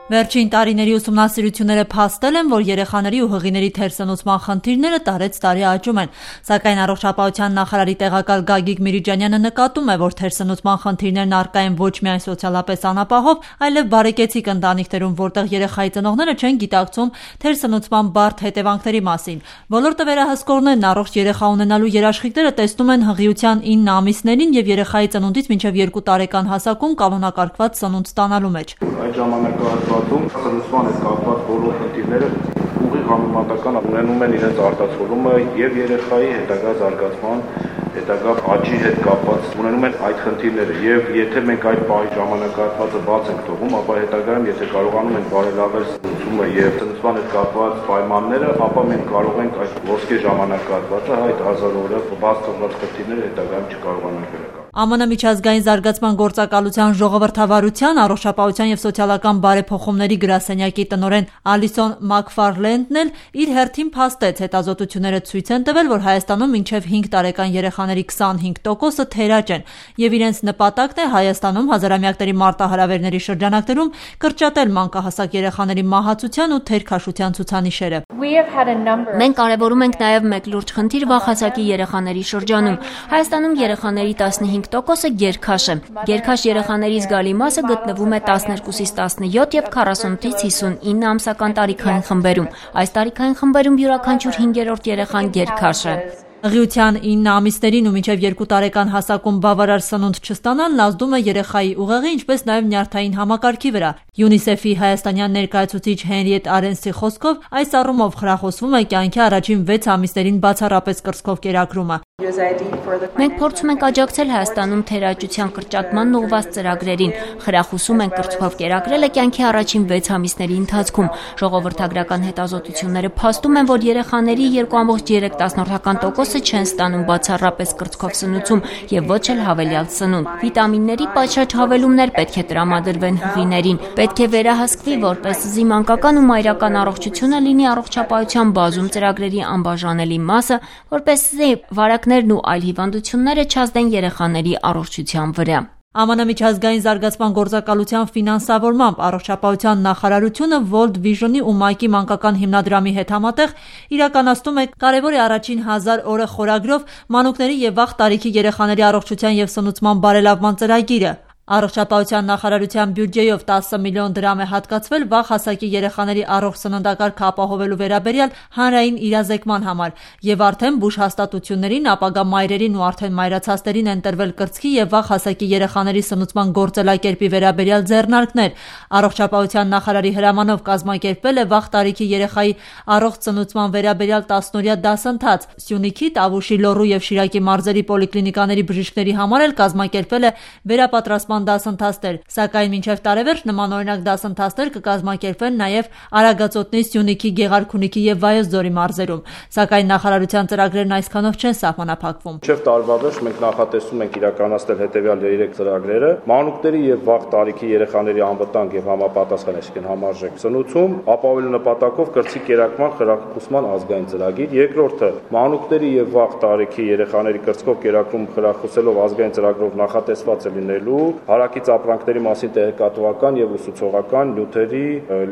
Վերջին տարիների ուսումնասիրությունները փաստել են, որ երեխաների ու հղիների թերսնուցման խնդիրները տարեցտարի աճում են, սակայն առողջապահության նախարարի տեղակալ Գագիկ Միրիջանյանը նկատում է, որ թերսնուցման խնդիրներն առկա են ոչ միայն սոցիալապես անապահով, այլև բարեկեցիկ ընտանիքներում, որտեղ երեխայի ծնողները չեն գիտակցում թերսնուցման բարդ հետևանքների մասին։ Ոլորտը վերահսկողներն առողջ երեխա ունենալու երաշխիքները տեսնում են հղիության 9 ամիսներին եւ երեխայի ծնունդից մինչեւ 2 տարեկան հասակում կանոնակարգված սնունդ ստանալու մեջ։ Սնուցման հետ կապված բոլոր խնդիրները ուղիղ համեմատական ունենում են իրենց արտացոլումը եւ երեխայի հետագա զարգացման, հետագա աճի հետ կապված ունենում են այդ խնդիրները եւ եթե մենք այդ պահի ժամանակահատվածը բաց ենք թողում, ապա հետագայում եթե կարողանում ենք բարելավել սնուցումը եւ սնուցման հետ կապված պայմանները, ապա մենք կարող ենք այդ ոսկե ժամանակահատվածը այդ 1000 օրը բաց թողած խնդիրները հետագայում չկարողանանք վերականգնել։ ԱՄՆ միջազգային զարգացման գործակալության ժողովրդավարության, առողջապահության եւ սոցիալական բարեփոխումների գրասենյակի տնօրեն Ալիսոն Մակֆարլենդն էլ իր հերթին փաստեց, հետազոտությունները ցույց են տվել, որ Հայաստանում մինչեւ 5 տարեկան երեխաների 25%-ը թերաճ են եւ իրենց նպատակն է Հայաստանում հազարամյակների մարտահրավերների շրջանակներում կրճատել մանկահասակ երեխաների մահացության ու թերքաշության ցուցանիշերը։ Մենք կարևորում ենք նաեւ մեկ լուրջ խնդիր վաղ հասակի երեխաների շրջանում։ Հայաստանում երեխաների 15%-ը գերքաշ է։ Գերքաշ երեխաների զգալի մասը գտնվում է 12-ից 17 եւ 48-ից 59 ամսական տարիքային խմբերում։ Այս տարիքային խմբերում յուրաքանչյուր 5-րդ երեխան գերքաշ է։ Հղիության 9 ամիսներին ու մինչև 2 տարեկան հասակում բավարար սնունդ չստանալն ազդում է երեխայի ուղեղի, ինչպես նաև նյարդային համակարգի վրա։ ՅՈՒՆԻՍԵՖ-ի հայաստանյան ներկայացուցիչ Հենրիետ Արենսի խոսքով այս առումով խրախուսվում է կյանքի առաջին 6 ամիսներին բացառապես կրծքով կերակրումը։ Մենք փորձում ենք աջակցել Հայաստանում թերաճության կրճատման ուղղված ծրագրերին, խրախուսում ենք կրծքով կերակրելը կյանքի առաջին 6 ամիսների ընթացքում։ Ժողովրդագրական հետազոտությունները փաստում են, որ երեխաների 2.3% չեն ստանում բացառապես կրծքով սնուցում եւ ոչ էլ հավելյալ սնունդ։ Վիտամինների պատշաճ հավելումներ պետք է տրամադրվեն հղիներին։ Պետք է վերահսկվի, որպեսզի մանկական ու մայրական առողջությունը լինի առողջապահության բազում ծրագրերի անբաժանելի մասը, որպեսզի վարակներն ու այլ հիվանդությունները չազդեն երեխաների առողջության վրա։ ԱՄՆ միջազգային զարգացման գործակալության ֆինանսավորմամբ առողջապահության նախարարությունը World Vision-ի ու Մայկի մանկական հիմնադրամի հետ համատեղ իրականացնում է կարևոր է առաջին 1000 օրը խորագրով մանուկների եւ վաղ տարիքի երեխաների առողջության եւ սնուցման բարելավման ծրագիրը։ Առողջապահության նախարարության բյուջեով 10 միլիոն դրամ է հատկացվել վաղ հասակի երեխաների առողջ սննդակարգը ապահովելու վերաբերյալ հանրային իրազեկման համար եւ արդեն բուժ հաստատություններին, ապագա մայրերին ու արդեն մայրացածներին են տրվել կրծքի եւ վաղ հասակի երեխաների սնուցման գործելակերպի վերաբերյալ ձեռնարկներ։ Առողջապահության նախարարի հրամանով կազմակերպվել է վաղ տարիքի երեխայի առողջ սնուցման վերաբերյալ 10-օրյա դասընթաց։ Սյունիքի, Տավուշի, Լոռու եւ Շիրակի մարզերի պոլիկլինիկաների բժիշկների համար էլ կազմակերպվել է վերապատրաստման դասընթացներ, սակայն մինչև տարեվերջ նմանօրինակ դասընթացներ կկազմակերպվեն նաև Արագածոտնի, Սյունիքի, Գեղարքունիքի եւ Վայոց ձորի մարզերում, սակայն նախարարության ծրագրերն այսքանով չեն սահմանափակվում։ Մինչև տարվա վերջ մենք նախատեսում ենք իրականացնել հետեւյալ 3 ծրագրերը՝ մանուկների եւ վաղ տարիքի երեխաների անվտանգ եւ համապատասխան, այսինքն համարժեք սնուցում, ապահովելու նպատակով կրծքի կերակրման խրախուսման ազգային ծրագիր, երկրորդը մանուկների եւ վաղ տարիքի երեխաների կրծքով կերակրում խրախուսելով ազգային ծրագրով նախատեսված է լինելու հարակից ապրանքների մասին տեղեկատվական եւ ուսուցողական նյութերի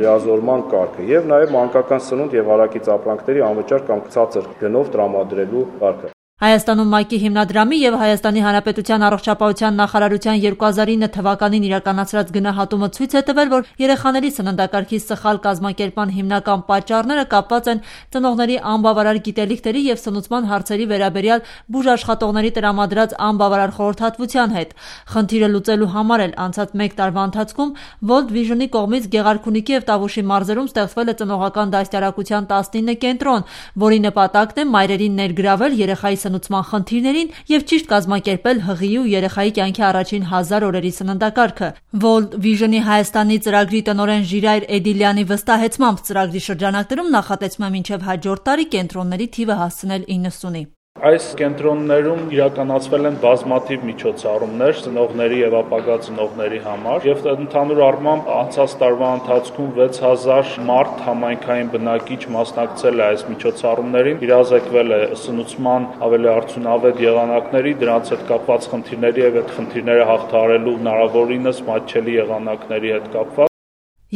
լիազորման կարգը եւ նաեւ մանկական սնունդ եւ հարակից ապրանքների անվճար կամ ցածր գնով տրամադրելու կարգը։ Հայաստանում Մայկի հիմնադրամի եւ Հայաստանի Հանրապետության առողջապահության նախարարության 2009 թվականին իրականացրած գնահատումը ցույց է տվել, որ երեխաների սննդակարգի սխալ կազմակերպման հիմնական պատճառները կապված են ծնողների անբավարար գիտելիքների եւ սնուցման հարցերի վերաբերյալ բուժաշխատողների տրամադրած անբավարար խորհրդատվության հետ։ Խնդիրը լուծելու համար էլ անցած 1 տարվա ընթացքում World Vision-ի կողմից Գեղարքունիքի եւ Տավուշի մարզերում ստեղծվել է ծնողական դաստիարակության 19 կենտրոն, որի նպատակն է մայրերին ներգրավել երեխայի սնուցման խնդիրներին եւ ճիշտ կազմակերպել հղիի ու երեխայի կյանքի առաջին 1000 օրերի սննդակարգը։ World Vision-ի Հայաստանի ծրագրի տնօրեն Ժիրայր Էդիլյանի վստահեցմամբ ծրագրի շրջանակներում նախատեսվում է մինչև հաջորդ տարի կենտրոնների թիվը հասցնել 90-ի։ Այս կենտրոններում իրականացվել են բազմաթիվ միջոցառումներ ծնողների եւ ապագա ծնողների համար եւ ընդհանուր առմամբ անցած տարվա ընթացքում 6000 մարդ համայնքային բնակիչ մասնակցել է այս միջոցառումներին, իրազեկվել է սնուցման ավելի արդյունավետ եղանակների, դրանց հետ կապված խնդիրների եւ այդ խնդիրները հաղթահարելու հնարավորինս մատչելի եղանակների հետ կապված։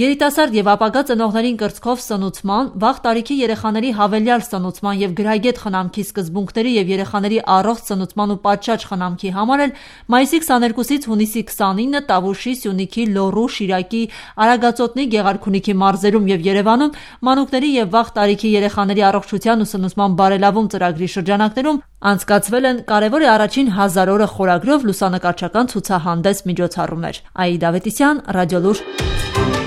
Երիտասարդ եւ ապագա ծնողներին կրծքով սնուցման, վաղ տարիքի երեխաների հավելյալ սնուցման եւ գրագետ խնամքի սկզբունքների եւ երեխաների առողջ սնուցման ու պատշաճ խնամքի համար էլ մայիսի 22-ից հունիսի 29-ը Տավուշի, Սյունիքի, Լոռու, Շիրակի, Արագածոտնի, Գեղարքունիքի մարզերում եւ Երևանում մանուկների եւ վաղ տարիքի երեխաների առողջության ու սնուցման բարելավում ծրագրի շրջանակներում անցկացվել են «Կարևոր է առաջին 1000 օրը» խորագրով լուսանկարչական ցուցահանդես միջոցառումներ։ Այի Դավետիսյան, Ռադիոլուր։